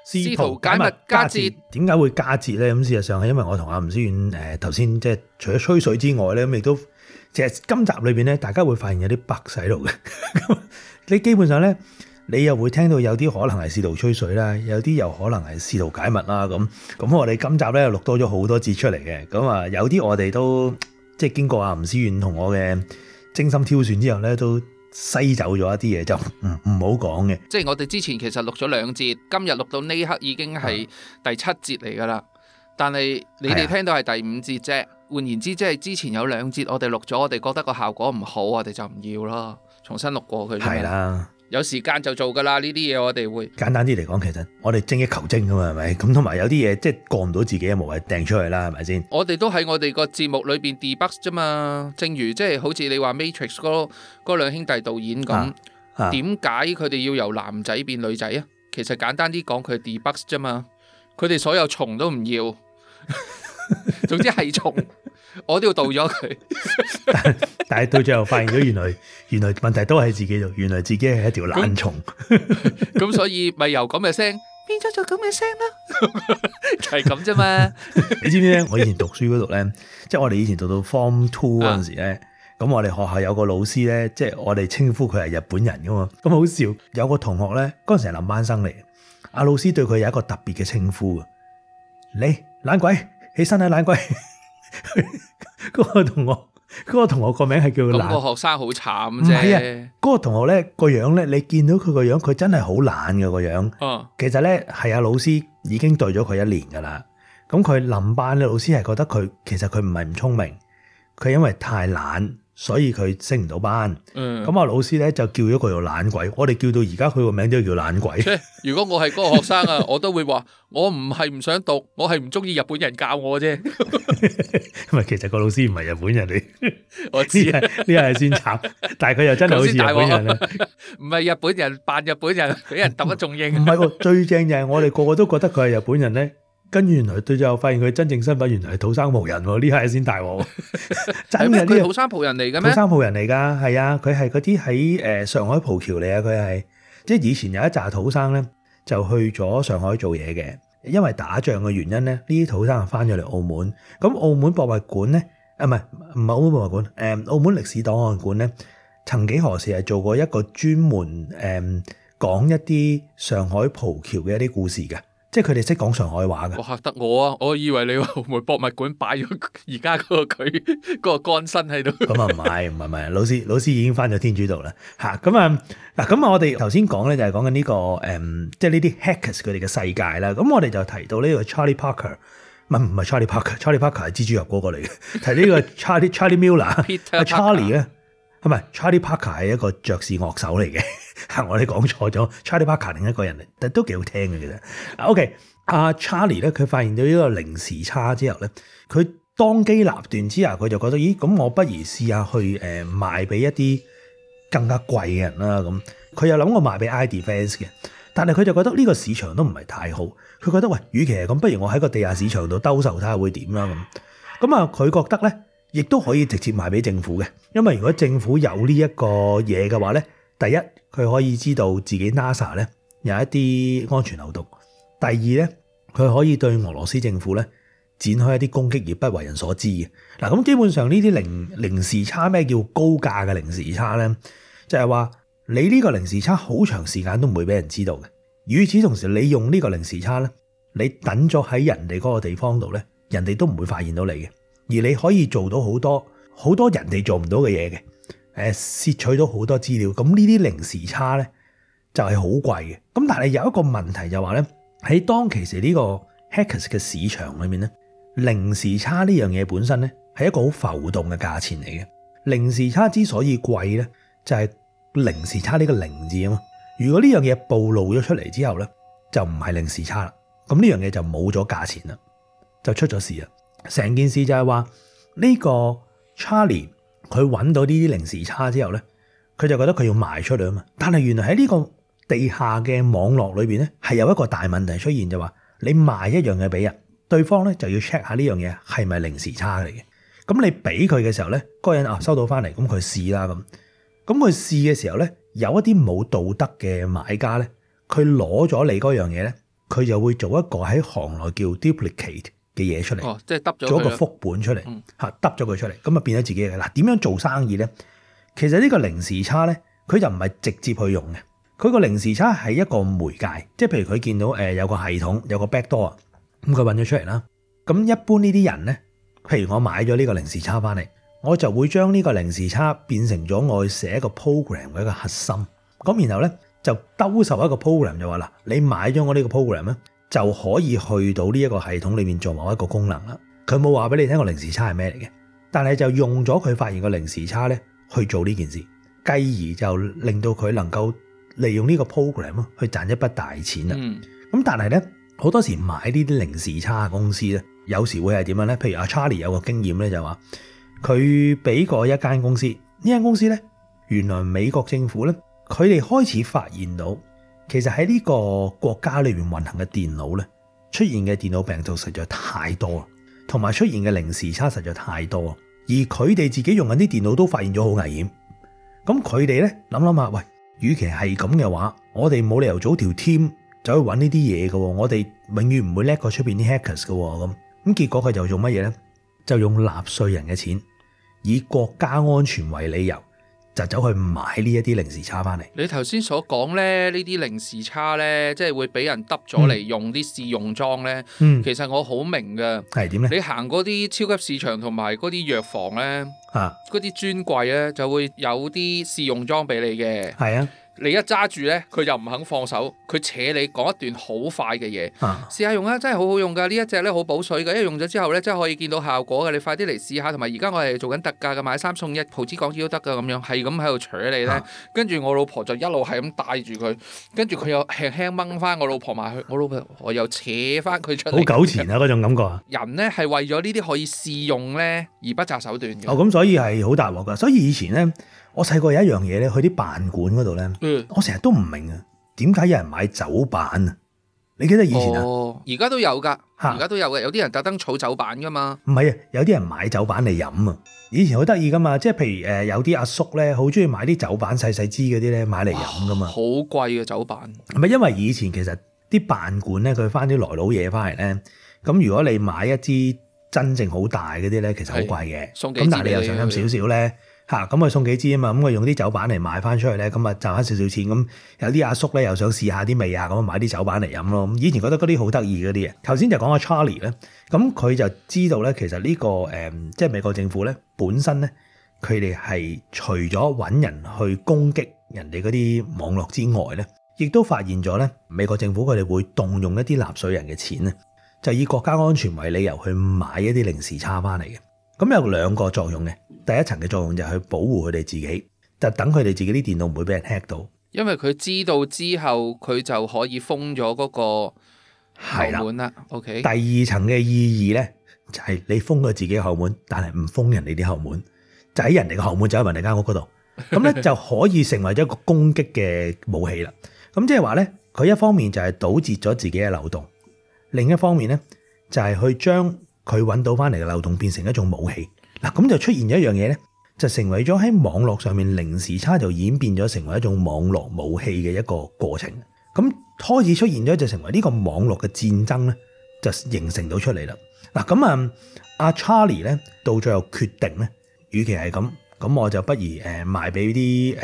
試圖解密加節，點解會加節咧？咁事實上係因為我同阿吳思遠頭先即係除咗吹水之外咧，咁亦都其實今集裏邊咧，大家會發現有啲 bug 喺度嘅。你基本上咧，你又會聽到有啲可能係試圖吹水啦，有啲又可能係試圖解密啦。咁我哋今集咧錄多咗好多節出嚟嘅。咁啊，有啲我哋都即係經過阿吳思遠同我嘅精心挑選之後咧，都篩走咗一啲嘢，就唔好講嘅。即係我哋之前其實錄咗2節，今日錄到呢刻已經係第7節嚟㗎啦。但係你哋聽到係第5節啫。換言之，即係之前有2節我哋錄咗，我哋覺得個效果唔好，我哋就唔要咯，重新錄過佢。係啦，有時間就做㗎啦。呢啲嘢我哋會簡單啲嚟講，其實我哋精益求精㗎嘛，係咪？咁同埋有啲嘢即係過唔到自己嘅，無謂掟出去啦，係咪先？我哋都喺我哋個節目裏邊 debug 啫嘛。正如即係好似你話 Matrix 嗰兩兄弟導演咁，點解佢哋要由男仔變女仔啊？其實簡單啲講，佢 debug 啫嘛。佢哋所有蟲都唔要，總之係蟲，我都要導咗佢。但係到最後發現咗，原來問題都係自己度，原來自己係一條懶蟲。咁所以咪由咁嘅聲變咗做咁嘅聲啦，就係咁啫嘛。你知唔知咧？我以前讀書嗰度咧，即係我哋以前讀到 Form 2嗰陣時咧，咁我哋學校有個老師咧，即係我哋稱呼佢係日本人噶嘛。咁好笑，有個同學咧，嗰陣時係臨班生嚟，阿老師對佢有一個特別嘅稱呼啊，你懶鬼，起身啊懶鬼。嗰個同學個名係叫懶。咁個學生好慘啫。係啊，嗰個同學咧個樣咧，你見到佢個樣，佢真係好懶嘅個樣。其實咧係阿老師已經對咗佢1年噶啦。咁佢臨班咧，老師係覺得佢其實佢唔係唔聰明，佢因為太懶，所以佢升唔到班。咁啊老師咧就叫咗佢做懶鬼。我哋叫到而家佢個名都叫懶鬼。如果我係嗰個學生啊，我都會話我唔係唔想讀，我係唔中意日本人教我啫。因為其實個老師唔係日本人嚟，我知呢係先慘，但係佢又真係好似日本人啊！唔係日本人扮日本人，俾人揼得仲應。唔係喎，最正就係我哋個個都覺得佢係日本人咧，跟住原來對最後發現佢真正身份原來係土生葡人喎，呢係先大鑊。真嘅，佢土生葡人嚟嘅咩？土生葡人嚟㗎，係啊，佢係嗰啲喺上海葡僑嚟啊，佢係即係以前有一紮土生咧，就去咗上海做嘢嘅。因為打仗嘅原因咧，呢啲土生就翻咗嚟澳門。咁澳門博物館咧，唔係澳門博物館，澳門歷史檔案館咧，曾幾何時係做過一個專門講一啲上海葡僑嘅一啲故事嘅，即係佢哋識講上海話嘅。我嚇得我啊！我以為你話澳門博物館擺咗而家嗰個佢嗰個乾身喺度。咁啊唔係，老師已經翻咗天主道啦嚇。咁啊嗱，咁我哋頭先講咧就係講緊呢個即係呢啲 hackers 佢哋嘅世界啦。咁我哋就提到呢個 Charlie Parker，唔係 Charlie Parker 係蜘蛛俠嗰個嚟嘅。提呢個 Charlie Miller，Charlie 咧，係咪 Charlie Parker 係一個爵士樂手嚟嘅？我哋講錯咗 ，Charlie Parker 另一個人嚟，但都幾好聽嘅其實。OK， 阿 Charlie 咧，佢發現到呢個零時差之後咧，佢當機立斷之下，佢就覺得，咦，咁我不如試下去賣俾一啲更加貴嘅人啦。咁佢又諗過賣俾 iDefence 嘅，但係佢就覺得呢個市場都唔係太好。佢覺得喂，與其係咁，不如我喺個地下市場度兜售睇下會點啦。咁啊，佢覺得咧，亦都可以直接賣俾政府嘅，因為如果政府有呢一個嘢嘅話咧，第一佢可以知道自己 NASA 咧有一啲安全漏洞；第二咧，佢可以對俄羅斯政府咧展開一啲攻擊而不為人所知嘅。嗱，咁基本上呢啲零時差，咩叫高價嘅零時差咧？就係話你呢個零時差好長時間都唔會俾人知道嘅。與此同時，你用呢個零時差咧，你等咗喺人哋嗰個地方度咧，人哋都唔會發現到你嘅，而你可以做到好多人哋做唔到嘅嘢嘅。竊取到好多資料，咁呢啲零時差咧就係好貴嘅。咁但係有一個問題就話咧，喺當其時呢個 hackers 嘅市場裏面咧，零時差呢樣嘢本身咧係一個好浮動嘅價錢嚟嘅。零時差之所以貴咧，就係零時差呢個零字啊嘛。如果呢樣嘢暴露咗出嚟之後咧，就唔係零時差啦。咁呢樣嘢就冇咗價錢啦，就出咗事啦。成件事就係話呢個 Charlie。佢揾到呢啲零時差之後咧，佢就覺得佢要賣出去啊嘛。但係原來喺呢個地下嘅網絡裏邊咧，係有一個大問題出現，就話你賣一樣嘢俾人，對方咧就要 check 下呢樣嘢係咪零時差嚟嘅。咁你俾佢嘅時候咧，嗰個人收到翻嚟，咁佢試啦咁。咁佢試嘅時候咧，有一啲冇道德嘅買家咧，佢攞咗你嗰樣嘢咧，佢就會做一個喺行內叫 duplicate 嘅嘢出嚟，即係揼咗做一個副本出嚟，揼咗佢出嚟，咁啊變咗自己嘅。嗱，點樣做生意咧？其實呢個零時差咧，佢就唔係直接去用嘅，佢個零時差係一個媒介，即係譬如佢見到有個系統有個 backdoor，咁佢揾咗出嚟啦。咁一般呢啲人咧，譬如我買咗呢個零時差翻嚟，我就會將呢個零時差變成咗我去寫一個 program 嘅一個核心，咁然後咧就兜售一個 program 就話啦，你買咗我呢個 program 咧，就可以去到呢一個系統裏面做某一個功能啦。佢冇話俾你聽個零時差係咩嚟嘅，但係就用咗佢發現個零時差咧去做呢件事，繼而就令到佢能夠利用呢個 program 去賺一筆大錢啦。咁但係咧好多時買呢啲零時差嘅公司咧，有時會係點樣咧？譬如阿 Charlie 有個經驗咧，就話佢俾過一間公司，呢間公司咧原來美國政府咧，佢哋開始發現到，其實喺呢個國家裏面運行嘅電腦咧，出現嘅電腦病毒實在太多，同埋出現嘅零時差實在太多，而佢哋自己用緊啲電腦都發現咗好危險。咁佢哋咧諗下，喂，與其係咁嘅話，我哋冇理由組條 team 走去揾呢啲嘢嘅，我哋永遠唔會叻過出邊啲 hackers 嘅。咁結果佢就做乜嘢咧？就用納稅人嘅錢，以國家安全為理由，就走去買呢一啲零時差翻嚟。你頭先所講咧，呢啲零時差咧，即係會俾人揼咗嚟用啲試用裝咧。其實我好明嘅。係點咧？你行嗰啲超級市場同埋嗰啲藥房咧，嗰啲專櫃咧就會有啲試用裝俾你嘅。係啊。你一揸住咧，佢又唔肯放手，佢扯你講一段好快嘅嘢。試下用啊，真係好好用噶！呢一隻咧好補水嘅，一用咗之後咧，真係可以見到效果嘅。你快啲嚟試下，同埋而家我係做緊特價嘅，買3送1，葡紙港紙都得噶咁樣，係咁喺度扯你咧。跟住我老婆就一路係咁帶住佢，跟住佢又輕輕掹翻我老婆埋去，我老婆又扯翻佢出嚟。好糾纏啊！嗰種感覺啊！人咧係為咗呢啲可以試用咧而不擇手段嘅。咁所以係好大鑊噶。所以以前咧，我細個有一樣嘢咧，去啲辦館嗰度咧，我成日都唔明啊，點解有人買酒版啊？你記得以前啊？而家都有噶，而家都有嘅，有啲人特登儲酒版噶嘛。唔係啊，有啲人買酒版嚟飲啊。以前好得意噶嘛，即係譬如有啲阿叔咧，好中意買啲酒版細細支嗰啲咧，買嚟飲噶嘛。好貴嘅酒版。唔係因為以前其實啲辦館咧，佢翻啲來佬嘢翻嚟咧，咁如果你買一支真正好大嗰啲咧，其實好貴嘅。咁但係你又想飲少少咧。咁佢送幾支啊嘛，咁佢用啲酒版嚟賣翻出去咧，咁啊賺翻少少錢。咁有啲阿叔咧又想試下啲味啊，咁買啲酒版嚟飲咯。咁以前覺得嗰啲好得意嗰啲嘢。頭先就講阿 Charlie 咧，咁佢就知道咧，其實呢個即係美國政府咧本身咧，佢哋係除咗揾人去攻擊人哋嗰啲網絡之外咧，亦都發現咗咧，美國政府佢哋會動用一啲納稅人嘅錢咧，就以國家安全為理由去買一啲零時差翻嚟嘅。咁有兩個作用嘅，第一層嘅作用就係去保護佢哋自己，就等佢哋自己啲電腦唔會俾人 hack 到。因為佢知道之後，佢就可以封咗嗰個後門啦。OK。第二層嘅意義咧，就係你封咗自己嘅後門，但係唔封人哋啲後門，就喺人哋嘅後門，就喺人哋間屋嗰度，咁咧就可以成為咗一個攻擊嘅武器啦。咁即係話咧，佢一方面就係堵截咗自己嘅漏洞，另一方面咧就係去將佢揾到翻嚟嘅漏洞變成一種武器。嗱，咁就出現咗一樣嘢咧，就成為咗喺網絡上面零時差就演變咗成為一種網絡武器嘅一個過程。咁開始出現咗就成為呢個網絡嘅戰爭咧，就形成到出嚟啦。嗱，咁阿 Charlie 咧到最後決定咧，與其係咁我就不如賣俾啲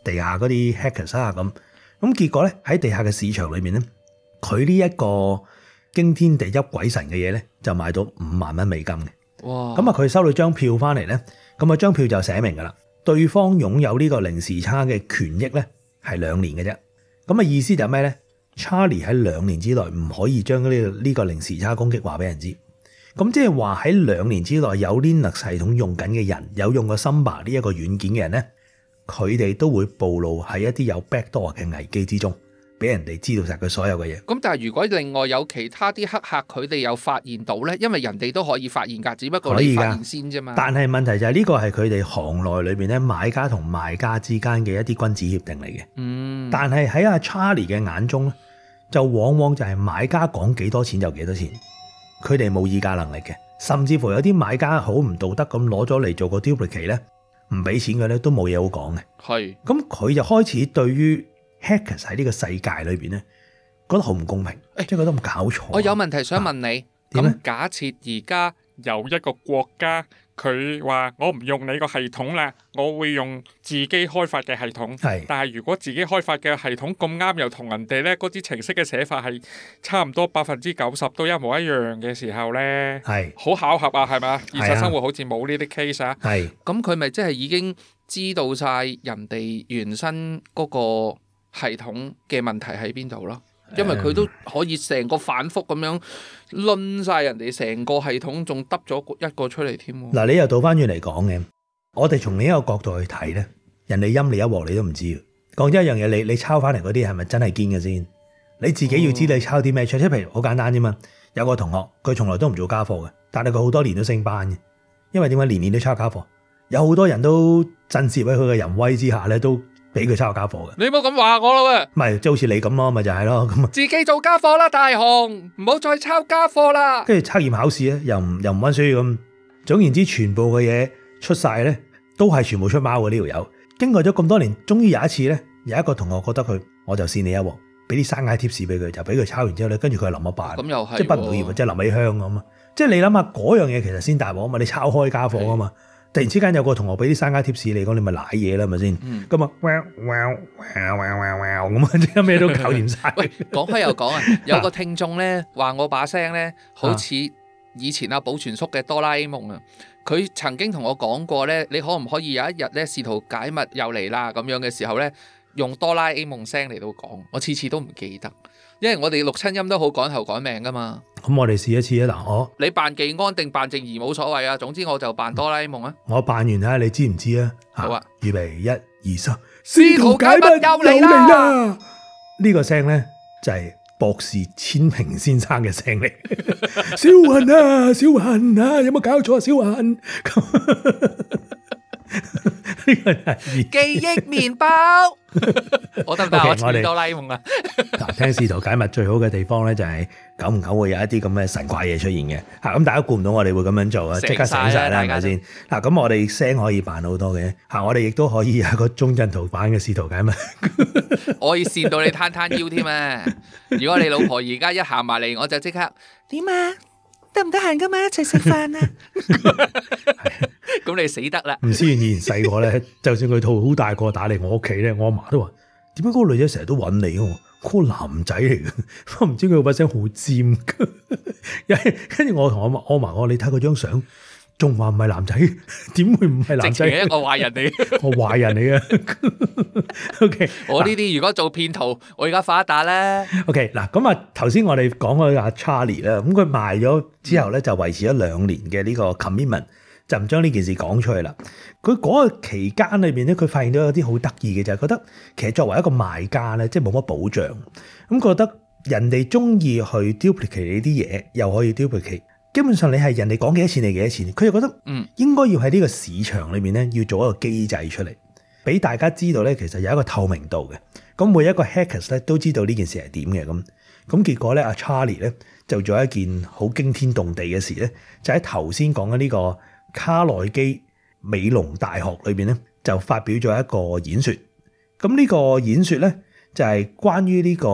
地下嗰啲 hackers 啊咁。咁結果咧喺地下嘅市場裏面咧，佢呢一個驚天地泣鬼神嘅嘢咧，就賣到5萬蚊美金嘅。哇！咁佢收到張票翻嚟咧，咁張票就寫明噶啦，對方擁有呢個零時差嘅權益咧係2年嘅啫。咁意思就係咩咧？Charlie 喺2年之內唔可以將呢個零時差攻擊話俾人知。咁即係話喺2年之內有 Linux 系統用緊嘅人，有用過 Samba 呢一個軟件嘅人咧，佢哋都會暴露喺一啲有 backdoor 嘅危機之中。俾人哋知道晒佢所有嘅嘢。咁但係如果另外有其他啲黑客佢哋有發現到咧，因為人哋都可以發現㗎，只不過你發現先啫嘛。但係問題就係呢個係佢哋行內裏邊咧買家同賣家之間嘅一啲君子協定嚟嘅。但係喺阿 Charlie 嘅眼中咧，就往往就係買家講幾多錢就幾多錢，佢哋冇議價能力嘅，甚至乎有啲買家好唔道德咁攞咗嚟做個 duplicate 咧，唔俾錢嘅咧都冇嘢好講嘅。係。咁佢就開始對於Hackers 喺呢個世界裏邊咧，覺得好唔公平，即係覺得冇搞錯。我有問題想問你，咁假設而家有一個國家，佢話我唔用你個系統啦，我會用自己開發嘅系統。但係如果自己開發嘅系統咁啱又同人哋呢嗰啲程式嘅寫法係差唔多90%都一模一樣嘅時候呢，好巧合啊，係咪？現實生活好似冇呢啲 case 啊。咁佢咪即係已經知道晒人哋原生嗰個系統嘅問題喺邊度咯？因為佢都可以成個反覆咁樣論晒人哋成個系統，仲得咗一個出嚟添。嗱，你又倒翻轉嚟講嘅，我哋從另一個角度去睇咧，人哋陰你一鑊你都唔知。講真一樣嘢，你抄翻嚟嗰啲係咪真係堅嘅先？你自己要知你抄啲咩出，即係譬如好簡單啫嘛。有個同學佢從來都唔做家課嘅，但係佢好多年都升班嘅，因為點解年年都抄家課？有好多人都震懾喺佢嘅淫威之下咧，都俾佢抄家課嘅。你唔好咁話我咯喎！唔係，即係好似你咁咯，咪就係咯咁。自己做家課啦，大雄，唔好再抄家課啦。跟住測驗考試咧，又唔溫書咁。總言之，全部嘅嘢出晒咧，都係全部出貓嘅呢條友。經過咗咁多年，終於有一次咧，有一個同學覺得佢，我就扇你一鑊，俾啲生解貼士俾佢，就俾佢抄完之後咧，跟住佢係淋一辦。咁又係，即係畢唔到業，即係淋起香咁啊！即係你諗下嗰樣嘢其實先大鑊啊嘛，你抄開家課啊嘛。突然之間有個同學俾啲生家貼士你講，你咪賴嘢啦，係咪先？咁啊，咁啊，即係咩都搞掂晒。喂，講開又講啊，有個聽眾咧話我把聲咧好似以前阿寶全叔嘅哆啦 A 夢啊。佢曾經同我講過咧，你可唔可以有一日咧試圖解密又嚟啦咁樣嘅時候咧，用哆啦 A 夢聲嚟到講，我次次都唔記得。因為我哋錄親音都好趕頭趕命噶嘛。咁我哋試一次啊！嗱，你扮技安定扮靜怡冇所謂啊。總之我就扮哆啦 A 夢啊。我扮完睇下你知唔知啊？好啊，預備1、2、3，試圖解密又嚟啦！呢個聲咧就係博士千平先生嘅聲嚟。小雲啊，小雲啊，有冇搞錯啊？小雲。呢個係記憶麵包。我得唔得？我似哆啦 A 夢啊！嗱，聽試圖解密最好嘅地方咧，就係久唔久會有一啲咁嘅神怪嘢出現嘅。嚇，咁大家估唔到我哋會咁樣做啊！即刻醒晒啦，係咪先？嗱，咁我哋聲可以扮好多嘅。嚇，我哋亦都可以有一個中陣圖版嘅試圖解密。我可以扇到你攤攤腰添啊！如果你老婆而家一行埋嚟，我就即刻點啊？得唔得閒噶嘛？一齊食飯啊！咁你死得啦！吳思遠以前細個咧，就算佢肚好大個打嚟我屋企咧，我阿媽都話：點解嗰個女仔成日都揾你？嗰個男仔嚟嘅，我唔知佢把聲好尖。跟住我同我阿嫲講：你睇佢張相，仲話唔係男仔？點會唔係男仔？係一個壞人嚟，我壞人嚟嘅。OK，我呢啲如果做騙徒，我而家發一打啦。OK， 嗱咁啊，頭先我哋講嗰阿 Charlie 啦，咁佢賣咗之後咧，就維持咗2年嘅呢個 commitment。就唔將呢件事講出去啦。佢嗰個期間裏邊咧，佢發現到有啲好得意嘅，就係覺得其實作為一個賣家咧，即係冇乜保障。咁覺得人哋中意去 duplicate 你啲嘢，又可以 duplicate。基本上你係人哋講幾多錢，你幾多錢。佢就覺得應該要喺呢個市場裏邊咧，要做一個機制出嚟，俾大家知道咧，其實有一個透明度嘅。咁每一個 hackers 咧都知道呢件事係點嘅。咁結果咧，阿 Charlie 咧就做一件好驚天動地嘅事咧，就喺頭先講嘅呢個卡內基美隆大學裏邊咧，就發表咗一個演說。咁呢個演說咧，就係關於呢個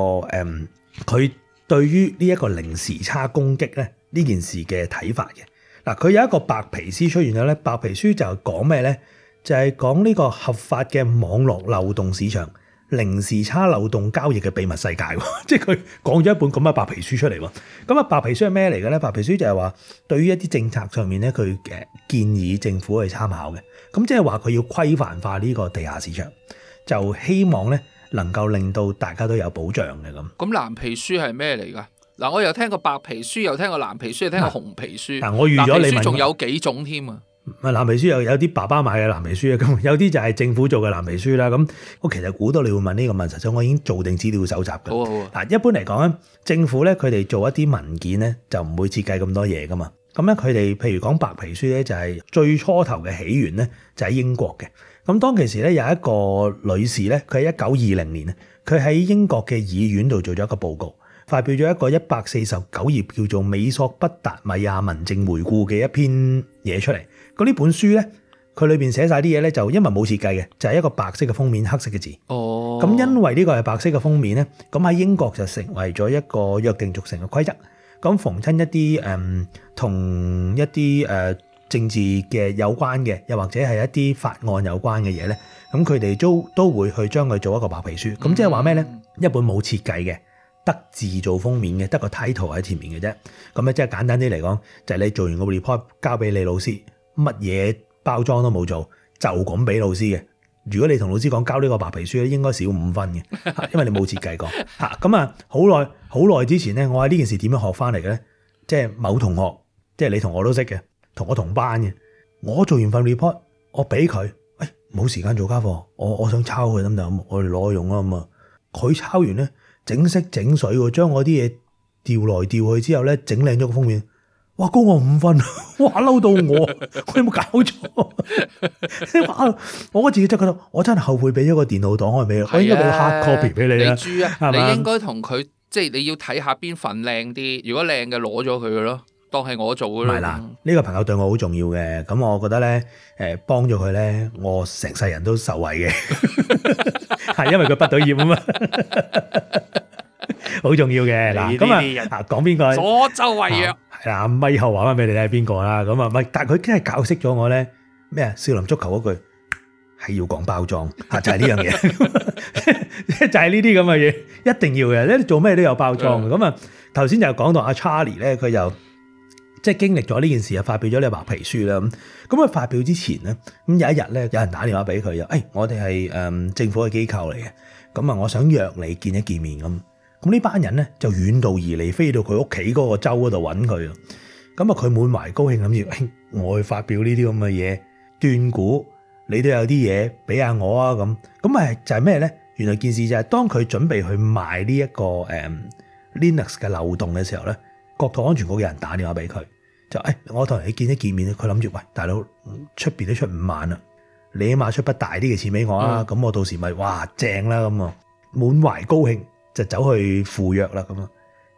佢對於呢一個零時差攻擊咧呢件事嘅睇法嘅。嗱，佢有一個白皮書出現咗咧，白皮書就講咩咧？就係講呢個合法嘅網絡漏洞市場、零時差漏洞交易嘅秘密世界。即係佢講咗一本咁嘅白皮書出嚟喎。咁啊，白皮書係咩嚟嘅咧？白皮書就係話對於一啲政策上面咧，佢建議政府去參考嘅。咁即係話佢要規範化呢個地下市場，就希望咧能夠令到大家都有保障嘅咁。咁藍皮書係咩嚟㗎？嗱，我又聽過白皮書，又聽過藍皮書，又聽過紅皮書。嗱，我預咗你問，仲有幾種添啊？藍皮書有啲爸爸買嘅藍皮書啊，咁有啲就係政府做嘅藍皮書啦。咁我其實估到你會問呢個問題，所以我已經做定資料搜集嘅。好啊。嗱，一般嚟講咧，政府咧佢哋做一啲文件咧就唔會設計咁多嘢噶嘛。咁咧佢哋譬如講白皮書咧，就係最初頭嘅起源咧就喺英國嘅。咁當其時咧有一個女士咧，佢喺1920年咧，佢喺英國嘅議院度做咗一個報告，發表咗一個149頁叫做《美索不達米亞民政回顧》嘅一篇嘢出嚟。咁呢本書咧，佢裏邊寫晒啲嘢咧，就因為冇設計嘅，就係一個白色嘅封面，黑色嘅字。哦，咁因為呢個係白色嘅封面咧，咁喺英國就成為咗一個約定俗成嘅規則。咁逢親一啲同一啲政治嘅有關嘅，又或者係一啲法案有關嘅嘢咧，咁佢哋都會去將佢做一個白皮書。咁即係話咩咧？一本冇設計嘅，得字做封面嘅，得個 title 喺前面嘅啫。咁咧即係簡單啲嚟講，就係你做完個 report 交俾你老師，乜嘢包裝都冇做，就咁俾老師嘅。如果你同老師講交呢個白皮書咧，應該少5分嘅，因為你冇設計過嚇。咁啊，好耐之前咧，我喺呢件事點樣學翻嚟嘅咧？即係某同學，即係你同我都識嘅，同我同班嘅。我做完份 report，我俾佢，冇時間做家課，我想抄佢得唔得？我哋攞去用啊嘛。佢抄完咧，整色整水喎，將我啲嘢調來調去之後咧，整靚咗個封面。哇！高我5分，哇！嬲到我有冇搞錯？我自己真係覺得，我真係後悔俾咗個電腦檔開俾佢，我應該俾個 hard copy 俾你啦。你豬啊！你應該同佢即係你要睇下邊份靚啲，如果靚嘅攞咗佢嘅咯，當係我做嘅咯。唔係啦，呢個朋友對我好重要嘅，咁我覺得咧，幫咗佢咧，我成世人都受惠嘅，係因為佢畢到業啊嘛。好重要嘅嗱，咁啊講邊個？左周為弱係啦，咪後話翻俾你睇係邊個啦？咁啊，咪但係佢真係教識咗我咧咩啊？少林足球嗰句係要講包裝嚇，就係呢樣嘢，就係呢啲咁嘅嘢，一定要嘅。你做咩都有包裝嘅。咁啊，頭先就講到阿 Charlie 咧，佢又即係經歷咗呢件事啊，發表咗呢個白皮書啦。咁佢發表之前咧，咁有一日咧，有人打電話俾佢，又我哋係政府嘅機構嚟嘅，咁啊，我想約你見一見面咁。咁呢班人咧就遠道而嚟，飛到佢屋企嗰個州嗰度揾佢。咁啊，佢滿懷高興，諗住我去發表呢啲咁嘅嘢，斷估你都有啲嘢俾下我啊咁。咁啊就係咩咧？原來件事就係當佢準備去賣呢一個Linux 嘅漏洞嘅時候咧，國土安全局嘅人打電話俾佢，就我同你見一見面。佢諗住喂，大佬出邊都出5萬啦，你起碼出筆大啲嘅錢俾我啊。咁我到時咪哇正啦咁啊，滿懷高興。就走去赴約啦咁啊，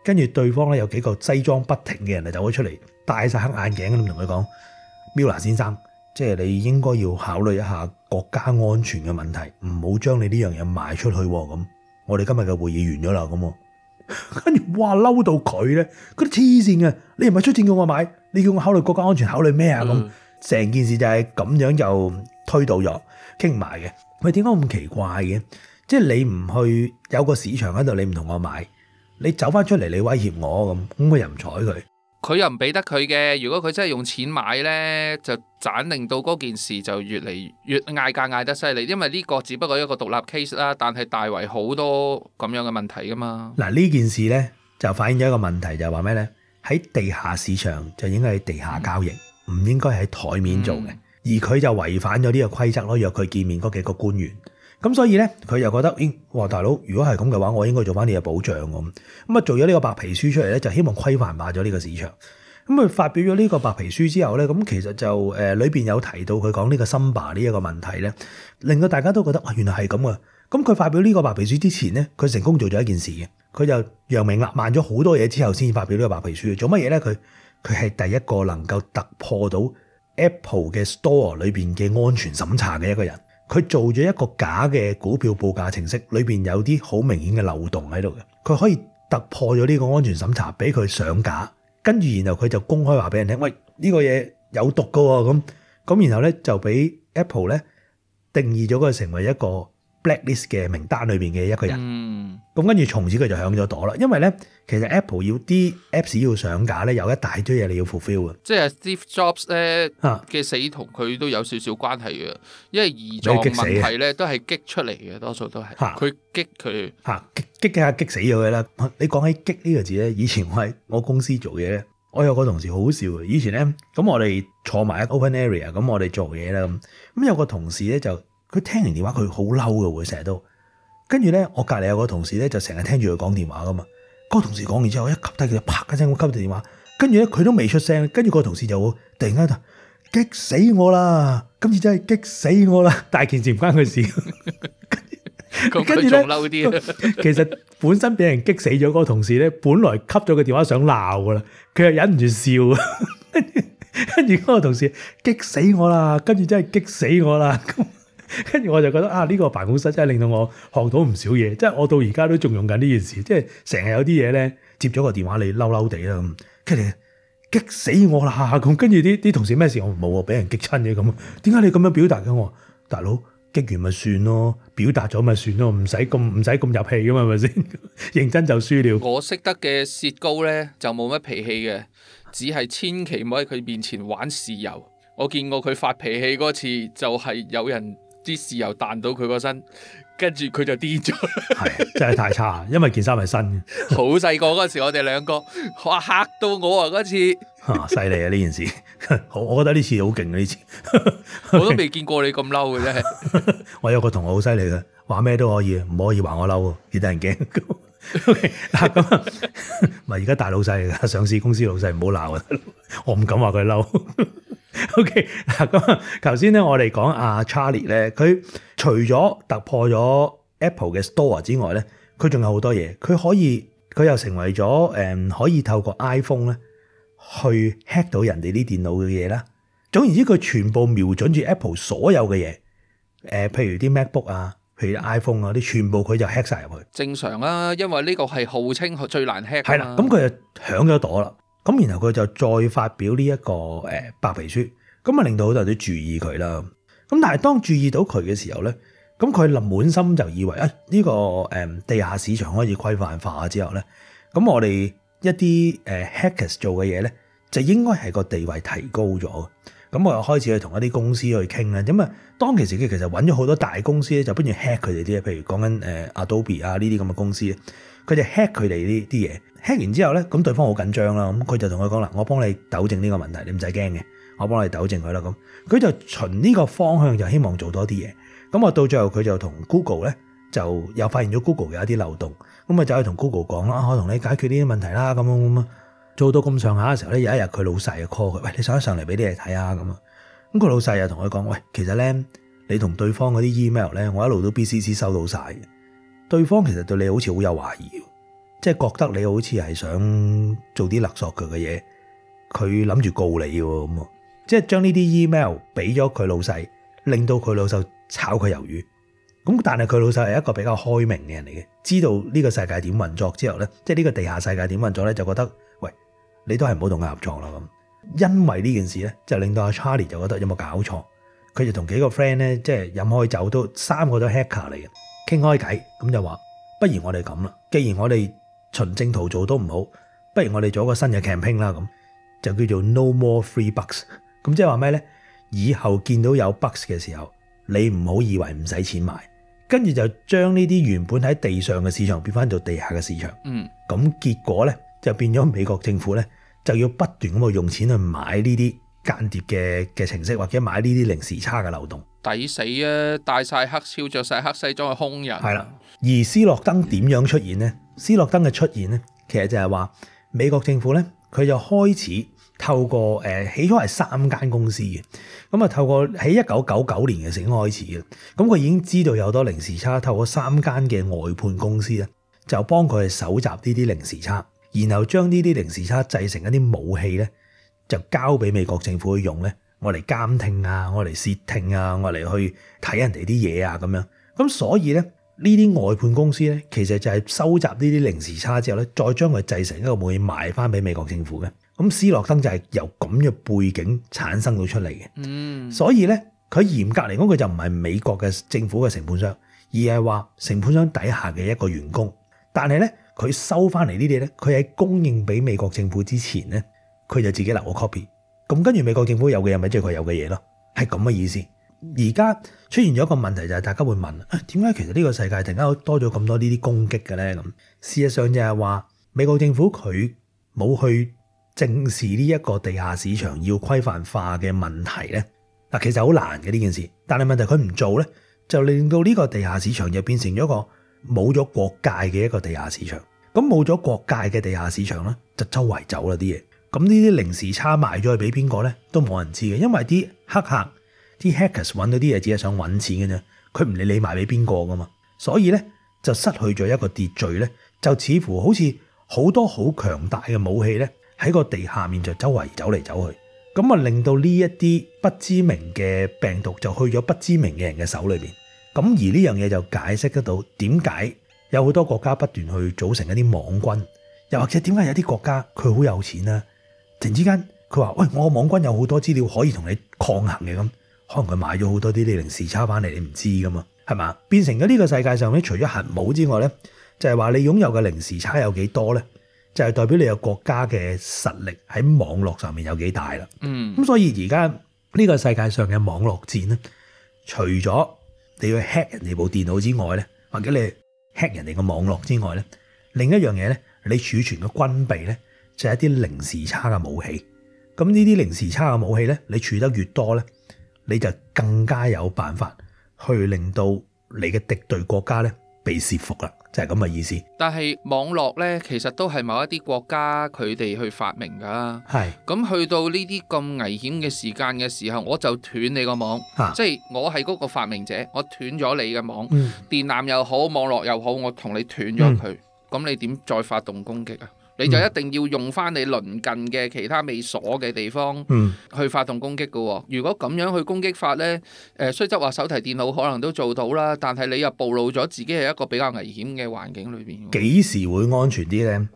跟住對方咧有幾個西裝不停嘅人就走咗出嚟，戴晒黑眼鏡咁同佢講，Miller 先生，即係你應該要考慮一下國家安全嘅問題，唔好將你呢樣嘢賣出去咁。我哋今日嘅會議完咗啦咁，跟住哇嬲到佢咧，佢都黐線嘅，你唔係出錢叫我買，你叫我考慮國家安全，考慮咩啊咁？成件事就係咁樣就推倒咗，傾唔埋嘅。喂，點解咁奇怪嘅？即係你唔去有個市場喺度，你唔同我買，你走翻出嚟，你威脅我咁佢又唔睬佢，佢又唔俾得佢嘅。如果佢真係用錢買咧，就盞令到嗰件事就越嚟越嗌價嗌得犀利。因為呢個只不過一個獨立 case 啦，但係大為好多咁樣嘅問題噶嘛。嗱，呢件事咧就反映咗一個問題，就係話咩咧？喺地下市場就應該喺地下交易，唔應該喺台面做嘅。而佢就違反咗呢個規則咯，約佢見面嗰幾個官員。咁所以咧，佢又覺得，哇大佬，如果係咁嘅話，我應該做翻呢個保障咁。咁啊，做咗呢個白皮書出嚟咧，就希望規範化咗呢個市場。咁佢發表咗呢個白皮書之後咧，咁其實就裏邊有提到佢講呢個 Samba 呢一個問題咧，令到大家都覺得原來係咁嘅。咁佢發表呢個白皮書之前咧，佢成功做咗一件事嘅，佢就揚名立萬咗好多嘢之後先發表呢個白皮書。做乜嘢咧？佢係第一個能夠突破到 Apple 嘅 Store 裏邊嘅安全審查嘅一個人。佢做咗一個假嘅股票報價程式，裏邊有啲好明顯嘅漏洞喺度嘅。佢可以突破咗呢個安全審查，俾佢上架，跟住然後佢就公開話俾人聽，喂，呢個嘢有毒噶喎，咁然後咧就俾 Apple 咧定義咗佢成為一個 blacklist 嘅名單裏邊嘅一個人。咁跟住從此佢就響咗朵啦。因為咧其實 Apple 要啲 Apps 要上架咧，有一大堆嘢你要 fulfill 嘅。即係 Steve Jobs 咧嘅死同佢都有少少關係嘅，因為胰臟問題咧都係激出嚟嘅，多數都係佢激佢激下激死咗佢啦。你講起激呢個字咧，以前我喺我公司做嘢咧，我有個同事好好笑嘅。以前咧咁我哋坐埋喺 open area， 咁我哋做嘢啦咁有個同事咧就佢聽完電話佢好嬲嘅會成日都。跟住咧，我隔離有個同事咧，就成日聽住佢講電話噶嘛。嗰個同事講完之後，一吸低佢就啪一聲咁吸住電話。跟住咧，佢都未出聲。跟住個同事就會突然間就激死我啦！今次真係激死我啦！大件事唔關佢事。跟住咧，仲嬲啲。其實本身俾人激死咗嗰個同事咧，本來吸咗個電話想鬧噶啦，佢又忍唔住笑。跟住嗰個同事激死我啦，跟住真係激死我啦。跟住我就覺得呢個辦公室真係令到我學到唔少嘢，即係我到而家都仲用緊呢件事，即係成日有啲嘢咧接咗個電話你嬲嬲地啦咁，跟住激死我啦咁，跟住啲同事咩事我冇啊，俾人激親嘅咁，點解你咁樣表達嘅？我話大佬激完咪算咯，表達咗咪算咯，唔使咁入戲噶嘛，係咪先？認真就輸了。我識得嘅薛高咧就冇乜脾氣嘅，只係千祈唔好喺佢面前玩豉油。我見過佢發脾氣嗰次，就係有人啲豉油彈到佢個身，跟住佢就癲咗。係真係太差，因為件衫係新嘅。好細個嗰時，我哋兩個哇嚇到我啊！嗰次犀利啊！呢件事，我覺得呢次好勁啊！呢次我都未見過你咁嬲嘅真係。我有個同學好犀利嘅，話咩都可以，唔可以話我嬲，幾得人驚。嗱咁啊，咪而家大老細嚟㗎，上市公司老細唔好鬧啊！我唔敢話佢嬲。OK， 嗱咁啊，頭先咧我哋講阿 Charlie 咧，佢除咗突破咗 Apple 嘅 Store 之外咧，佢仲有好多嘢，佢又成為咗可以透過 iPhone 咧去 hack 到人哋啲電腦嘅嘢啦。總言之，佢全部瞄準住 Apple 所有嘅嘢，譬如啲 MacBook 啊，譬如 iPhone 啊啲，全部佢就 hack 晒入去。稱常啊，因為呢個係號稱最難 hack。係啦，咁佢就響咗朵啦。咁然後佢就再發表呢一個白皮書，咁啊令到好多人都注意佢啦。咁但係當注意到佢嘅時候咧，咁佢滿心就以為呢個地下市場可以規範化之後咧，咁我哋一啲hackers 做嘅嘢咧，就應該係個地位提高咗。咁我又開始去同一啲公司去傾啦。咁啊，當其時佢其實揾咗好多大公司咧，就不如 hack 佢哋啲嘢，譬如講緊Adobe 啊呢啲咁嘅公司，佢就 hack 佢哋呢啲嘢。hack 完之後咧，咁對方好緊張啦，咁佢就同佢講啦，我幫你糾正呢個問題，你唔使驚嘅，我幫你糾正佢啦。咁佢就循呢個方向就希望做多啲嘢。咁我到最後佢就同 Google 咧就又發現咗 Google 有一啲漏洞，咁啊就去同 Google 講啦，我同你解決呢啲問題啦，咁做到咁上下嘅時候咧，有一日佢老細就 call 佢，喂，你上嚟俾啲嘢睇下咁啊。咁佢老細又同佢講，喂，其實咧你同對方嗰啲 email 咧，我一路都 BCC 收到晒嘅，對方其實對你好似好有懷疑。即係覺得你好似係想做啲勒索佢嘅嘢，佢諗住告你嘅咁，即係將呢啲 email 俾咗佢老細，令到佢老細炒佢魷魚。咁但係佢老細係一個比較開明嘅人嚟嘅，知道呢個世界點運作之後咧，即係呢個地下世界點運作咧，就覺得喂，你都係唔好同佢合作啦咁。因為呢件事咧，就令到阿 Charlie 就覺得有冇搞錯，佢就同幾個 friend 咧，即係飲開酒都3個都 hacker 嚟嘅，傾開偈咁就話，不如我哋咁啦，既然我哋循正途做都唔好，不如我哋做一個新嘅 campaign 啦，咁就叫做 No More Free Bucks。咁即係話咩咧？以後見到有 bucks 嘅時候，你唔好以為唔使錢買，跟住就將呢啲原本喺地上嘅市場變翻做地下嘅市場。咁結果咧就變咗美國政府咧就要不斷咁去用錢去買呢啲間諜嘅程式，或者買呢啲零時差嘅漏洞。抵死啊！戴晒黑超，着晒黑西裝嘅兇人。係啦，而斯諾登點樣出現咧？斯諾登嘅出現咧，其實就係話美國政府咧，佢就開始透過起初係3間公司嘅，咁啊透過喺1999年嘅時候開始嘅，咁佢已經知道有好多零時差，透過3間嘅外判公司咧，就幫佢去搜集呢啲零時差，然後將呢啲零時差製成一啲武器咧，就交俾美國政府去用咧，我嚟監聽啊，我嚟竊聽啊，我嚟去睇人哋啲嘢啊咁樣，咁所以咧。呢啲外判公司咧，其實就係收集呢啲零時差之後咧，再將佢製成一個武器賣翻俾美國政府嘅。咁斯諾登就係由咁嘅背景產生到出嚟嘅。所以咧，佢嚴格嚟講，佢就唔係美國嘅政府嘅承判商，而係話承判商底下嘅一個員工。但係咧，佢收翻嚟呢啲咧，佢喺供應俾美國政府之前咧，佢就自己留個 copy。咁跟住美國政府有嘅嘢，咪即係佢有嘅嘢咯，係咁嘅意思。而家出現咗一個問題就係大家會問，點解其實呢個世界突然間多咗咁多呢啲攻擊嘅咧？咁事實上就係話美國政府佢冇去正視呢一個地下市場要規範化嘅問題咧。嗱，其實好難嘅呢件事，但係問題佢唔做咧，就令到呢個地下市場就變成咗一個冇咗國界嘅一個地下市場。咁冇咗國界嘅地下市場咧，就周圍走啦啲嘢。咁呢啲零時差賣咗去俾邊個咧，都冇人知嘅，因為啲黑客。啲 hackers 揾到啲嘢只係想揾錢嘅啫，佢唔理你賣俾邊個噶嘛，所以咧就失去咗一個秩序咧，就似乎好似好多好強大嘅武器咧喺個地下面就周圍走嚟走去，咁啊令到呢一啲不知名嘅病毒就去咗不知名嘅人嘅手裏邊。咁而呢樣嘢就解釋得到點解有好多國家不斷去組成一啲網軍，又或者點解有啲國家佢好有錢啦，突然之間佢話喂，我個網軍有好多資料可以同你抗衡嘅，咁可能佢買咗好多啲零時差翻嚟，你唔知噶嘛，係嘛？變成咗呢個世界上咧，除咗核武之外咧，就係話你擁有嘅零時差有幾多咧，就係代表你有國家嘅實力喺網絡上面有幾大啦。咁所以而家呢個世界上嘅網絡戰咧，除咗你要 hack 人哋部電腦之外咧，或者你 hack 人哋個網絡之外咧，另一樣嘢咧，你儲存嘅軍備咧，就係一啲零時差嘅武器。咁呢啲零時差嘅武器咧，你儲得越多咧，你就更加有辦法去令到你嘅敵對國家咧被懾服啦，就係咁嘅意思。但係網絡咧，其實都係某一啲國家佢哋去發明㗎。係。咁去到呢啲咁危險嘅時間嘅時候，我就斷你個網。即係我係嗰個發明者，我斷咗你嘅網。電纜又好，網絡又好，我同你斷咗佢。咁你點再發動攻擊啊？你就一定要用翻你鄰近嘅其他未鎖嘅地方去發動攻擊嘅。如果咁樣去攻擊法呢，雖則話手提電腦可能都做到啦，但係你又暴露咗自己係一個比較危險嘅環境裏邊。幾時會安全啲呢？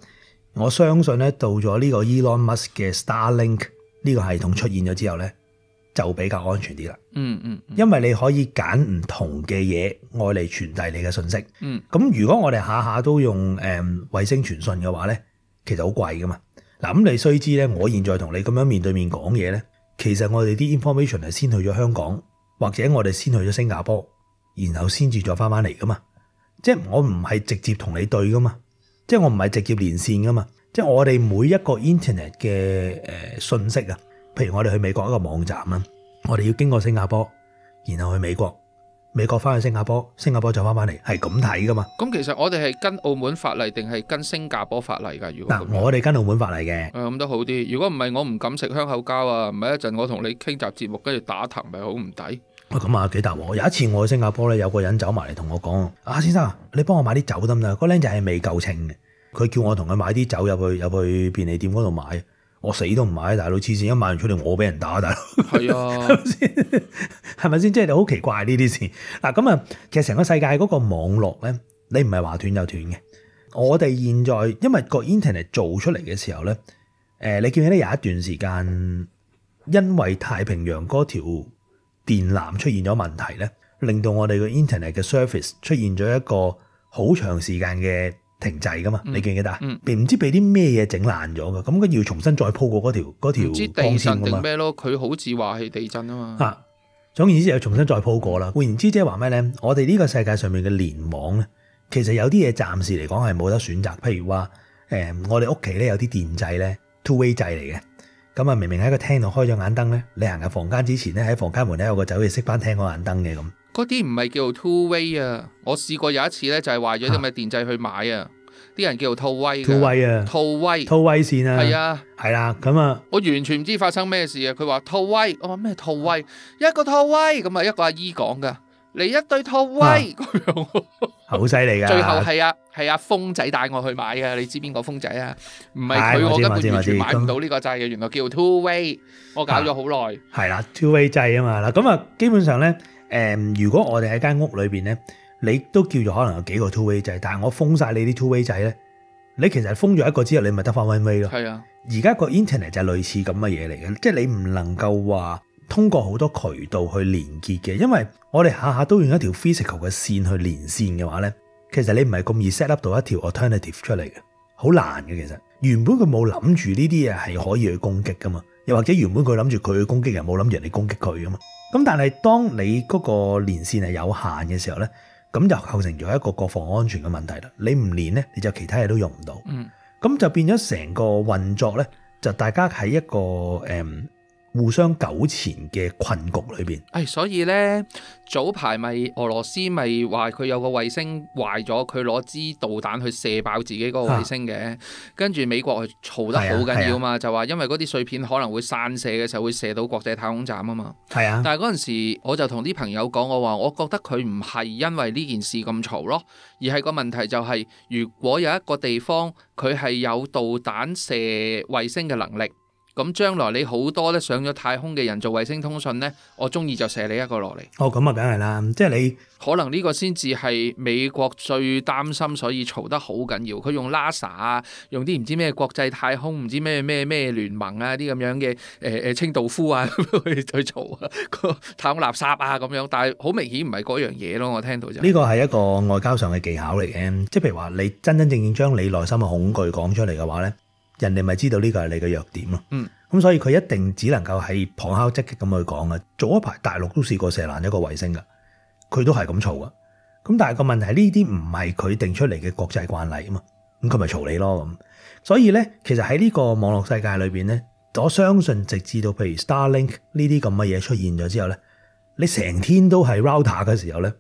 我相信呢，到咗呢個 Elon Musk 嘅 Starlink 呢個系統出現咗之後呢，就比較安全啲啦。因為你可以揀唔同嘅嘢愛嚟傳遞你嘅信息。咁如果我哋下下都用衛星傳訊嘅話呢，其實好貴噶嘛。嗱，咁你須知咧，我現在同你咁樣面對面講嘢咧，其實我哋啲 information 係先去咗香港，或者我哋先去咗新加坡，然後先至再翻嚟噶嘛。即係我唔係直接同你對噶嘛，即係我唔係直接連線噶嘛。即係我哋每一個 internet 嘅信息啊，譬如我哋去美國一個網站啦，我哋要經過新加坡，然後去美國。美國翻去新加坡，新加坡就翻嚟，係咁睇噶嘛？咁其實我哋係跟澳門法例定係跟新加坡法例㗎？如果我哋跟澳門法例嘅，咁都好啲。如果唔係，我唔敢食香口膠啊！唔係一陣我同你傾集節目，跟住打藤咪好唔抵。咁啊幾大鑊！有一次我去新加坡咧，有個人走埋嚟同我講：先生，你幫我買啲酒得唔得？嗰僆仔係未夠稱嘅，佢叫我同佢買啲酒入去便利店嗰度買。我死都唔買，大佬黐線，一買完出嚟我俾人打，大佬係啊，係咪先？即係好奇怪呢啲事。嗱咁啊，其實成個世界嗰個網絡咧，你唔係話斷就斷嘅。我哋現在因為個 internet 做出嚟嘅時候咧，你記唔記得有一段時間，因為太平洋嗰條電纜出現咗問題咧，令到我哋個 internet 嘅 service 出現咗一個好長時間嘅停滯噶嘛？你記唔記得啊？唔知俾啲咩嘢整爛咗噶，咁佢要重新再鋪過嗰條唔知地震定咩咯？佢好似話係地震啊嘛。總言之又重新再鋪過啦。換言之，即係話咩咧？我哋呢個世界上面嘅聯網咧，其實有啲嘢暫時嚟講係冇得選擇。譬如話我哋屋企咧有啲電掣咧 two-way 掣嚟嘅。咁啊，明明喺個廳度開咗眼燈咧，你行入房間之前咧，喺房間門咧有個走去熄翻廳嗰眼燈嘅咁。嗰啲唔係叫做 two way 啊！我試過有一次咧，就係壞咗啲咁嘅電掣去買啊，啲人叫做套威嘅。套威啊！套威線啊！係啊，係啦，咁啊，我完全唔知發生咩事啊！佢話套威，我話咩套威？一個套威咁啊，一個阿姨講噶，嚟一對套威咁樣，好犀利噶！最後係阿峰仔帶我去買嘅，你知邊個峰仔啊？唔係佢，我根本完全買唔到呢個掣嘅，原來叫 two way， 我搞咗好耐。係啦 ，two way 掣啊嘛，嗱咁啊，基本上咧。如果我哋喺間屋裏邊咧，你都叫做可能有幾個 two way 掣，但係我封晒你啲 two way 掣咧，你其實封咗一個之後，你咪得翻 one way 咯。係啊，而家個 internet 就係類似咁嘅嘢嚟嘅，即係你唔能夠話通過好多渠道去連結嘅，因為我哋下下都用一條 physical 嘅線去連線嘅話咧，其實你唔係咁易 set up 到一條 alternative 出嚟嘅，好難嘅。其實原本佢冇諗住呢啲嘢係可以去攻擊噶嘛，又或者原本佢諗住佢去攻擊人，冇諗住人哋攻擊佢噶嘛。咁但係當你嗰個連線係有限嘅時候咧，咁就構成咗一個國防安全嘅問題啦。你唔連咧，你就其他嘢都用唔到。咁就變咗成個運作咧，就大家喺一個互相糾纏嘅困局裏邊。所以咧早排咪俄羅斯咪話佢有個衛星壞咗，佢攞支導彈去射爆自己嗰個衛星嘅，跟住美國係嘈得好緊要嘛，就話因為嗰啲碎片可能會散射嘅時候會射到國際太空站啊嘛。係啊，但係嗰陣時我就同啲朋友講，我話我覺得佢唔係因為呢件事咁嘈咯，而係個問題就係如果有一個地方佢係有導彈射衛星嘅能力。咁將來你好多咧上咗太空嘅人做衛星通訊咧，我中意就射你一個落嚟。咁啊，梗係啦，即係你可能呢個先至係美國最擔心，所以嘈得好緊要。佢用 NASA 啊，用啲唔知咩國際太空，唔知咩聯盟啊啲咁樣嘅清道夫啊去嘈啊個太空垃圾啊咁樣，但係好明顯唔係嗰樣嘢咯。我聽到就呢個係一個外交上嘅技巧嚟嘅，即係譬如話你真正將你內心嘅恐懼講出嚟嘅話咧，人哋咪知道呢個係你嘅弱點咯。咁所以佢一定只能夠係旁敲側擊咁去講啊。早一排大陸都試過射爛一個衛星噶，佢都係咁嘈噶。咁但係個問題係呢啲唔係佢定出嚟嘅國際慣例啊嘛，咁佢咪嘈你咯咁。所以咧，其實喺呢個網絡世界裏邊咧，我相信直至到譬如 Starlink 呢啲咁嘅嘢出現咗之後咧，你成天都係 router 嘅時候咧，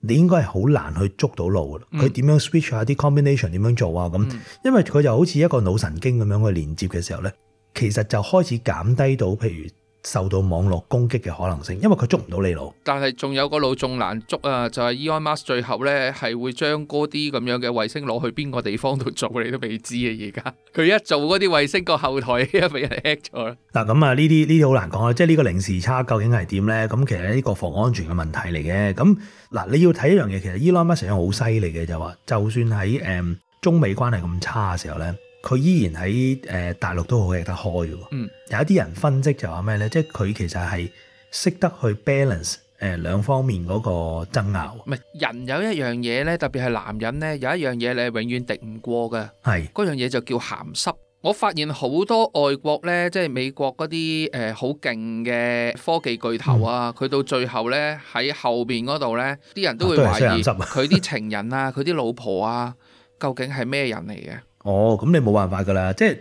你應該係好難去捉到路噶。佢點樣 switch 下啲 combination 點樣做啊咁？因為佢就好似一個腦神經咁樣去連接嘅時候咧，其實就開始減低到譬如受到網絡攻擊嘅可能性，因為佢捉唔到你路。但係仲有個路仲難捉啊！就係 Elon Musk 最後咧係會將嗰啲咁樣嘅衛星攞去邊個地方度做，你都未知啊！而家佢一做嗰啲衛星個後台一俾人 hack 咗啦。嗱咁啊，呢啲好難講啊！即係呢個零時差究竟係點咧？咁其實係呢個防安全嘅問題嚟嘅。咁嗱，你要睇一樣嘢，其實 Elon Musk 好犀利嘅就話，就算喺中美關係咁差嘅時候咧，佢依然喺大陸都好吃得開嘅。有一啲人分析就話咩咧？即係佢其實係識得去 balance 兩方面嗰個爭拗。唔係人有一樣嘢咧，特別係男人咧，有一樣嘢你係永遠敵唔過嘅。係嗰樣嘢就叫鹹濕。我發現好多外國咧，即係美國嗰啲好勁嘅科技巨頭啊，佢到最後咧喺後邊嗰度咧，啲人都會懷疑佢啲情人啊，佢啲老婆啊，究竟係咩人嚟嘅？咁你冇辦法噶啦，即係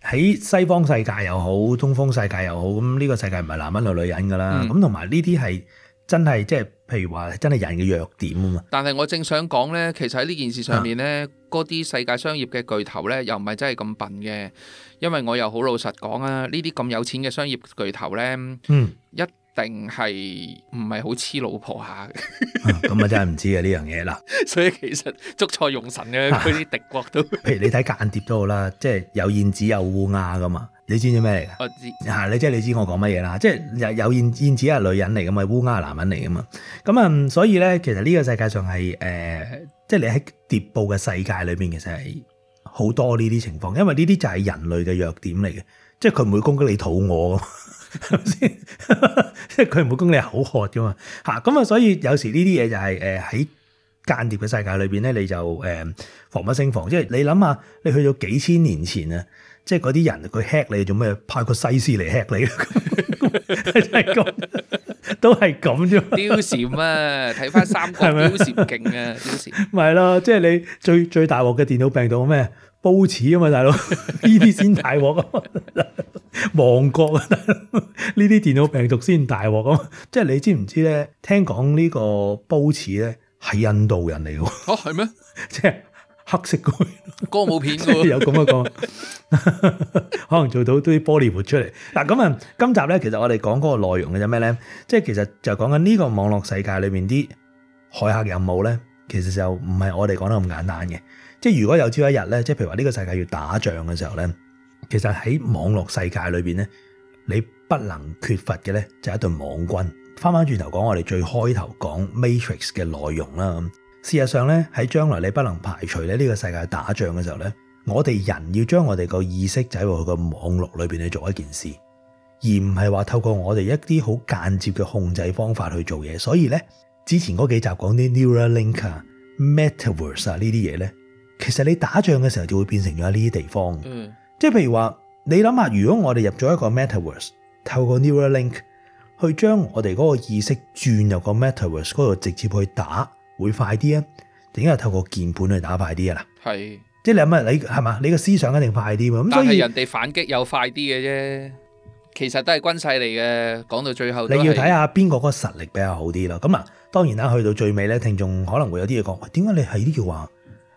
喺西方世界又好，東方世界又好，咁呢個世界唔係男人同女人噶啦，咁同埋呢啲係真係即係譬如話真係人嘅弱點啊嘛。但係我正想講咧，其實喺呢件事上面咧，嗰啲世界商業嘅巨頭咧，又唔係真係咁笨嘅，因為我又好老實講啊，呢啲咁有錢嘅商業巨頭咧，一定係唔係好黐老婆下嘅？咁啊真係唔知啊呢樣嘢啦。所以其實捉錯用神嘅嗰啲敵國都，譬如你睇間諜都好啦，即係有燕子有烏鴉噶嘛。你知唔知咩嚟㗎？我知嚇，你知我講乜嘢啦？即係有燕子係女人嚟㗎嘛，烏鴉係男人嚟㗎嘛。咁所以咧，其實呢個世界上係即係你喺諜報嘅世界裏邊，其實係好多呢啲情況，因為呢啲就係人類嘅弱點嚟嘅，即係佢唔會攻擊你肚餓。係咪先？即係佢唔會攻你口渴噶嘛嚇，咁啊，所以有時呢啲嘢就係喺間諜嘅世界裏邊咧，你就防不勝防。即係你諗下，你去到幾千年前啊，即係嗰啲人佢 hack 你做咩？派個西施嚟 hack 你，真係咁，都係咁啫。貂蟬啊，睇翻三國貂蟬勁啊，貂蟬。咪係咯，即係你最大鑊嘅電腦病毒咩？煲似啊嘛，大佬，呢啲先大鑊啊！亡國啊，大佬，呢啲電腦病毒先大鑊啊！即係你知唔知咧？聽講呢個煲似咧係印度人嚟嘅。哦，係咩？即係黑色嘅歌舞片嘅，有咁嘅講，可能做到啲玻璃活出嚟。嗱咁啊，今集咧其實我哋講嗰個內容嘅就咩咧？即係其實就講緊呢個網絡世界裏面啲駭客任務咧，其實就唔係我哋講得咁簡單嘅。即係如果有朝一日咧，即係譬如話呢個世界要打仗嘅時候咧，其實喺網絡世界裏邊咧，你不能缺乏嘅咧就係一隊網軍。翻返轉頭講我哋最開頭講 Matrix 嘅內容啦。事實上咧，喺將來你不能排除咧呢個世界打仗嘅時候咧，我哋人要將我哋個意識走入去個網絡裏邊去做一件事，而唔係話透過我哋一啲好間接嘅控制方法去做嘢。所以咧，之前嗰幾集講啲 Neuralink 啊、Metaverse 啊呢啲嘢咧，其實你打仗嘅時候就會變成咗呢啲地方。即係譬如話，你諗下，如果我哋入咗一個 Metaverse， 透過 Neuralink 去將我哋嗰個意識轉入個 Metaverse 嗰度直接去打，會快啲啊？定係透過鍵盤去打快啲啊？嗱，係，即係你諗下，你係嘛？你個思想一定快啲嘛？咁但係人哋反擊又快啲嘅啫，其實都係軍勢嚟嘅。講到最後，你要睇下邊個嗰個實力比較好啲咯。咁啊，當然啦，去到最尾咧，聽眾可能會有啲嘢講，點解你係都要話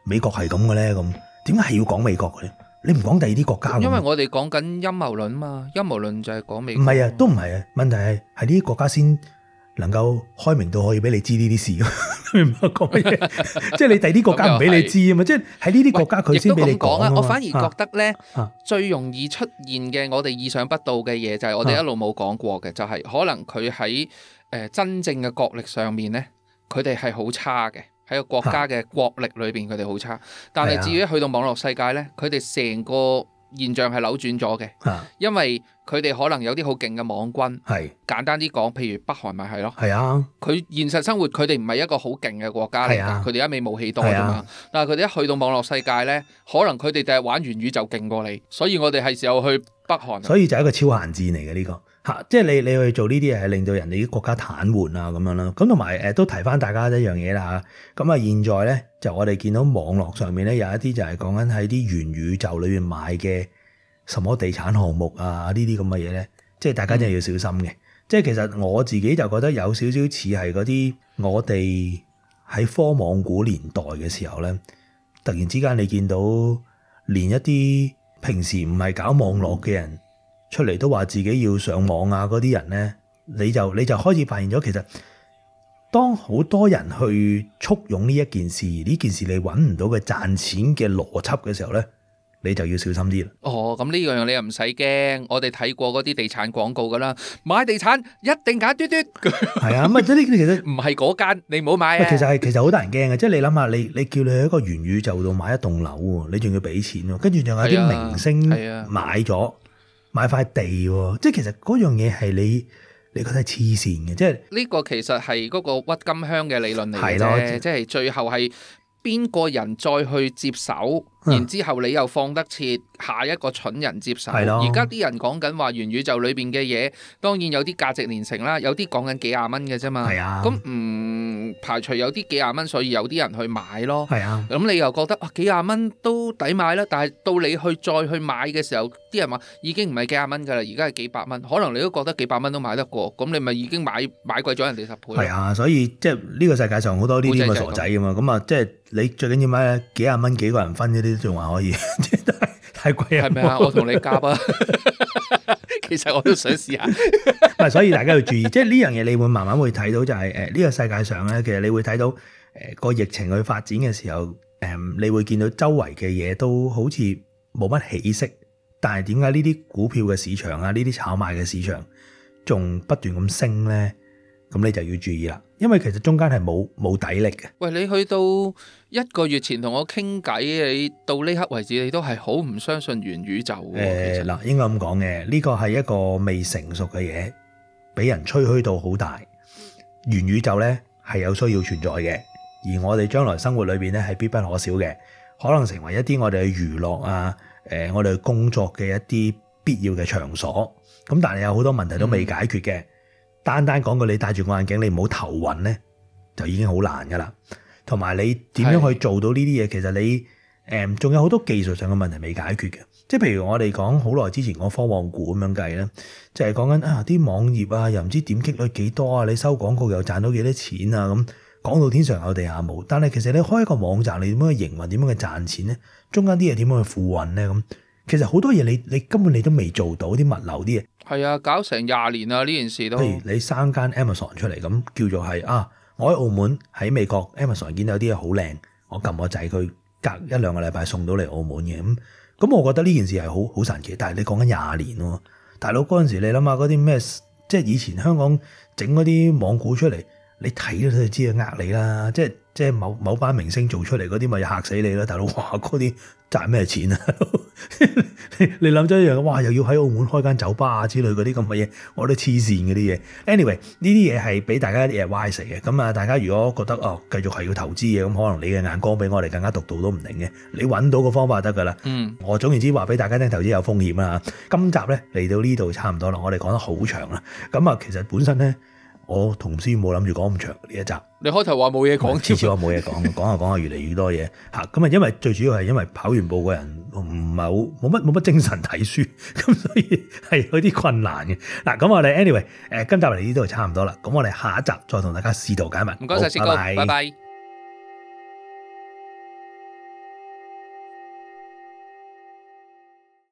美國係咁嘅咧？咁點解係要講美國嘅咧？你唔講第二啲國家？因為我哋講緊陰謀論嘛，陰謀論就係講美國。唔係啊，都唔係啊。問題係呢啲國家先能夠開明到可以俾你知呢啲事，明白講乜嘢？即係你第啲國家唔俾你知啊嘛，即係喺呢啲國家佢先俾你講啊嘛。我反而覺得咧，最容易出現嘅我哋意想不到嘅嘢就係我哋一路冇講過嘅，就係可能佢喺真正嘅國力上面咧，佢哋係好差嘅，喺個國家嘅國力裏邊佢哋好差。但係至於去到網絡世界咧，佢哋成個現象係扭轉咗嘅，因為佢哋可能有啲好勁嘅網軍，簡單啲講，譬如北韓咪係咯，佢現實生活佢哋唔係一個好勁嘅國家嚟㗎，佢哋一味武器多啫嘛，但係佢哋一去到網絡世界咧，可能佢哋第日玩元宇宙勁過你，所以我哋係時候去北韓。所以就係一個超限戰嚟嘅呢個嚇，即係你去做呢啲嘢係令到人哋啲國家癱瘓啊咁樣啦。咁同埋都提翻大家一樣嘢啦嚇，咁啊現在咧就我哋見到網絡上面咧有一啲就係講緊喺啲元宇宙裏面買嘅什麼地產項目啊呢啲咁嘅嘢咧，即係大家真係要小心嘅。即係其實我自己就覺得有少少似係嗰啲我哋喺科網股年代嘅時候咧，突然之間你見到連一啲平時唔係搞網絡嘅人出嚟都話自己要上網啊嗰啲人咧，你就開始發現咗，其實當好多人去簇擁呢一件事，呢件事你揾唔到嘅賺錢嘅邏輯嘅時候咧，你就要小心啲啦。咁呢樣你又唔使驚，我哋睇過嗰啲地產廣告噶啦，買地產一定揀嘟嘟。係啊，咁即係呢啲其實唔係嗰間，你唔好買啊。其實好得人驚嘅，即係你諗下，你叫你去一個元宇宙度買一棟樓喎，你仲要俾錢喎，跟住仲有啲明星買咗買塊地喎，即係其實嗰樣嘢係你覺得係黐線嘅，即係呢個其實係嗰個鬱金香嘅理論嚟嘅啫，即係最後係邊個人再去接手，然之後你又放得切下一個蠢人接手。而家啲人講緊話元宇宙裏邊嘅嘢，當然有啲價值連城啦，有啲講緊幾廿蚊嘅啫嘛。咁唔排除有啲幾廿蚊，所以有啲人去買咯。咁你又覺得幾廿蚊都抵買啦，但係到你再去買嘅時候，啲人話已經唔係幾廿蚊㗎啦，而家係幾百蚊，可能你都覺得幾百蚊都買得過，咁你咪已經買貴咗人哋10倍。所以即係呢個世界上好多呢啲咁嘅傻仔㗎嘛，咁啊即係你最緊要買幾廿蚊幾個人分嗰啲仲話可以，即係太貴啊！係咪啊？我同你夾啊！其實我都想試下。所以大家要注意，即係呢樣嘢，你會慢慢會睇到就係呢個世界上咧，其實你會睇到個疫情去發展嘅時候，你會見到周圍嘅嘢都好似冇乜起色，但係點解呢啲股票嘅市場啊，呢啲炒賣嘅市場仲不斷咁升咧？咁你就要注意啦，因為其實中間係冇底力嘅。喂，你去到1個月前同我傾偈，你到呢刻為止，你都係好唔相信元宇宙嘅。嗱，應該咁講嘅，呢個係一個未成熟嘅嘢，俾人吹噓到好大。元宇宙咧係有需要存在嘅，而我哋將來生活裏邊咧係必不可少嘅，可能成為一啲我哋嘅娛樂啊，我哋工作嘅一啲必要嘅場所。咁但係有好多問題都未解決嘅。單講句，你戴住個眼鏡，你唔好頭暈咧，就已經好難噶啦。同埋你點樣去做到呢啲嘢？其實你仲有好多技術上嘅問題未解決嘅。即係譬如我哋講好耐之前講科網股咁樣計咧，就係講緊啲網頁啊，又唔知點擊率幾多啊，你收廣告又賺到幾多錢啊，咁講到天上有地下冇。但係其實你開一個網站，你點樣去營運，點樣去賺錢咧？中間啲嘢點樣去付運咧？咁其實好多嘢你根本你都未做到，啲物流啲嘢。係啊，搞成20年啦呢件事都。譬如你生間 Amazon 出嚟，咁叫做係我喺澳門喺美國 Amazon 見到有啲嘢好靚，我撳個掣，佢隔1-2個禮拜送到嚟澳門嘅。咁我覺得呢件事係好神奇。但係你講緊20年喎，大佬嗰陣時你諗下嗰啲咩，即係以前香港整嗰啲網股出嚟，你睇都知係呃你啦。即係某班明星做出嚟嗰啲咪嚇死你啦，大佬！哇，嗰啲賺咩錢啊？你諗咗一樣，哇！又要喺澳門開間酒吧啊之類嗰啲咁嘅嘢，我都黐線嗰啲嘢。Anyway，呢啲嘢係俾大家啲嘢歪死嘅。咁啊，大家如果覺得繼續係要投資嘅，咁可能你嘅眼光比我哋更加獨到都唔定嘅。你揾到個方法就得㗎啦。我總言之話俾大家聽，投資有風險啦。今集咧嚟到呢度差唔多啦，我哋講得好長啦。咁啊，其實本身咧，我同師冇諗住講咁長呢一集。你開頭話冇嘢講，次次話冇嘢講，講下越嚟越多嘢嚇。咁啊，因為最主要係因為跑完步個人唔係好冇乜精神睇書，咁所以係有啲困難嘅。嗱，咁我哋 anyway 今集嚟呢度差唔多啦。咁我哋下一集再同大家試圖解密。唔該晒，薛哥，拜拜。